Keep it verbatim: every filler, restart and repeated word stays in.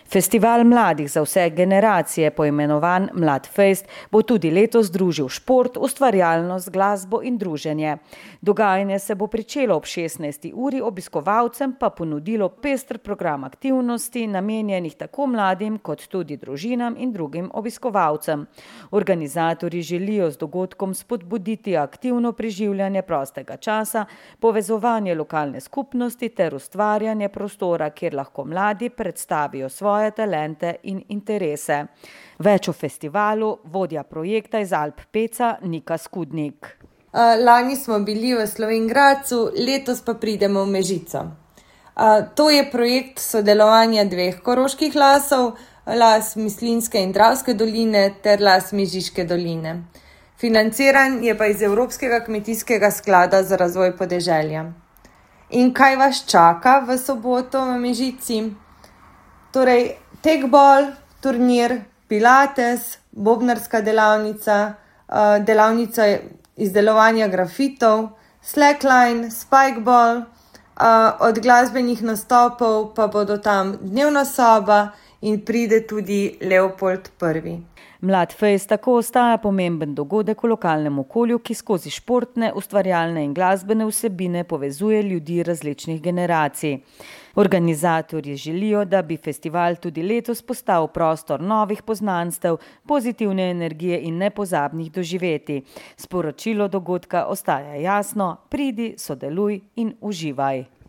Festival mladih za vse generacije, poimenovan Mladfest, bo tudi letos združil šport, ustvarjalnost, glasbo in druženje. Dogajanje se bo pričelo ob šestnajsti uri, obiskovalcem pa ponudilo pester program aktivnosti, namenjenih tako mladim kot tudi družinam in drugim obiskovalcem. Organizatorji želijo z dogodkom spodbuditi aktivno preživljanje prostega časa, povezovanje lokalne skupnosti ter ustvarjanje prostora, kjer lahko mladi predstavijo svoje talente in interese. Več o festivalu vodja projekta iz Alp Peca Nika Skudnik. Lani smo bili v Slovenj Gradcu, letos pa pridemo v Mežico. To je projekt sodelovanja dveh koroških lasov, las Mislinjske in Dravske doline ter las Mežiške doline. Financiran je pa iz Evropskega kmetijskega sklada za razvoj podeželja. In kaj vas čaka v soboto v Mežici? Torej, tekbol, turnir, pilates, bobnarska delavnica, delavnica izdelovanja grafitov, slackline, spikeball, od glasbenih nastopov pa bodo tam dnevna soba in pride tudi Leopold prvi. Mladfest tako ostaja pomemben dogodek v lokalnem okolju, ki skozi športne, ustvarjalne in glasbene vsebine povezuje ljudi različnih generacij. Organizatorji želijo, da bi festival tudi letos postal prostor novih poznanstev, pozitivne energije in nepozabnih doživetij. Sporočilo dogodka ostaja jasno: pridi, sodeluj in uživaj.